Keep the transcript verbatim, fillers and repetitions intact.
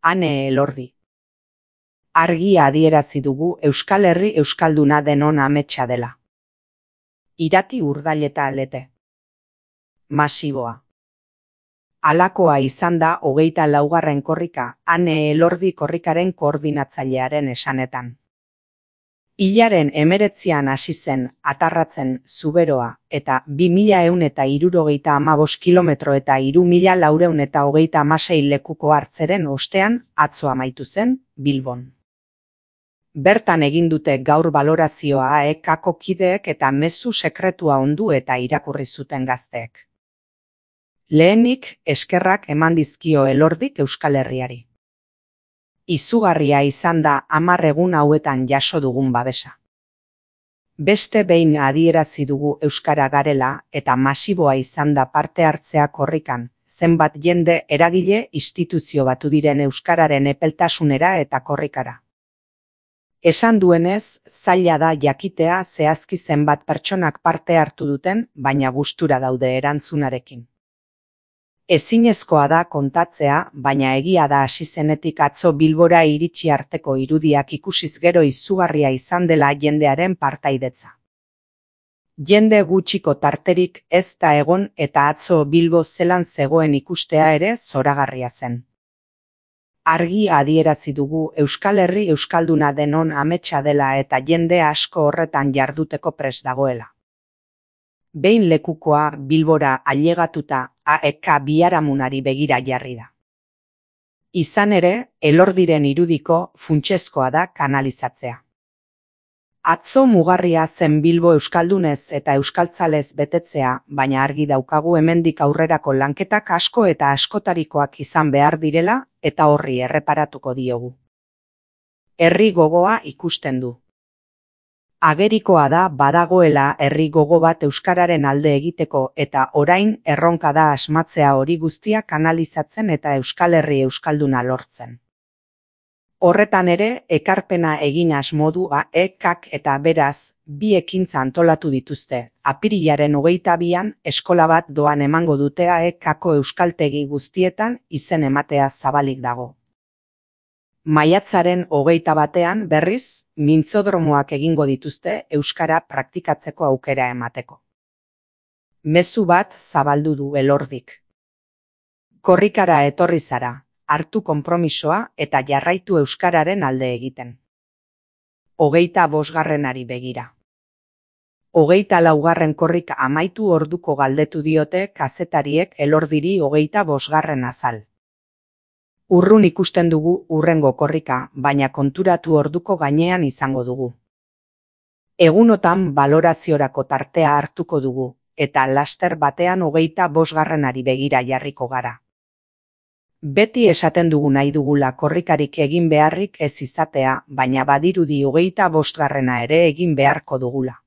Ane Elordi. Argi adierazi dugu Euskal Herri euskalduna denon ametsa dela. Irati Urdaileta Lete. Masiboa. Halakoa izan da hogeita laugarren korrika, Ane Elordi korrikaren koordinatzailearen esanetan. Hilaren hemeretzian hasi zen atarratzen Zuberoa eta bi mila ehun eta hirurogeita hamabost kilometro eta hiru mila laurehun eta hogeita hamasei lekuko hartzeren ostean atzo amaitu zen Bilbon. Bertan egin dute gaur balorazioa A E K-ko kideek eta mezu sekretua ondu eta irakurri zuten gazteek. Lehenik eskerrak eman dizkio Elordik Euskal Herriari. Izugarria izan da hamar egun hauetan jaso dugun babesa. Beste behin adierazi dugu euskara garela eta masiboa izan da parte hartzea korrikan, zenbat jende eragile instituzio batu diren euskararen epeltasunera eta korrikara. Esan duenez, zaila da jakitea zehazki zenbat pertsonak parte hartu duten, baina gustura daude erantzunarekin. Ezinezkoa da kontatzea, baina egia da hasi zenetik atzo Bilbora iritsi arteko irudiak ikusiz gero izugarria izan dela jendearen partaidetza. Jende gutxiko tarterik ez da egon eta atzo Bilbo zelan zegoen ikustea ere zoragarria zen. Argi adierazi dugu Euskal Herri euskalduna denon ametsa dela eta jende asko horretan jarduteko prest dagoela. Behin lekukoa Bilbora ailegatuta A E K biharamunari begira jarri da. Izan ere, Elordiren irudiko funtsezkoa da kanalizatzea. Atzo mugarria zen Bilbo euskaldunez eta euskaltzalez betetzea, baina argi daukagu hemendik aurrerako lanketak asko eta askotarikoak izan behar direla eta horri erreparatuko diogu. Herri gogoa ikusten du. Agerikoa da badagoela herri gogo bat euskararen alde egiteko eta orain erronka da asmatzea hori guztia kanalizatzen eta Euskal Herri euskalduna lortzen. Horretan ere, ekarpena egin asmo du A E K-k eta beraz, bi ekintza antolatu dituzte. Apirilaren hogeita bian eskola bat doan emango dute A E K-ko euskaltegi guztietan izen ematea zabalik dago. Maiatzaren hogeita batean berriz, mintzodromoak egingo dituzte euskara praktikatzeko aukera emateko. Mezu bat zabaldu du Elordik. Korrikara etorri zara, hartu konpromisoa eta jarraitu euskararen alde egiten. Hogeita bosgarrenari begira. Hogeita laugarren korrika amaitu orduko galdetu diote kazetariek Elordiri hogeita bosgarren azal. Urrun ikusten dugu hurrengo korrika, baina konturatu orduko gainean izango dugu. Egunotan baloraziorako tartea hartuko dugu, eta laster batean hogeita bosgarrenari begira jarriko gara. Beti esaten dugu nahi dugula korrikarik egin beharrik ez izatea, baina badirudi hogeita bosgarrena ere egin beharko dugula.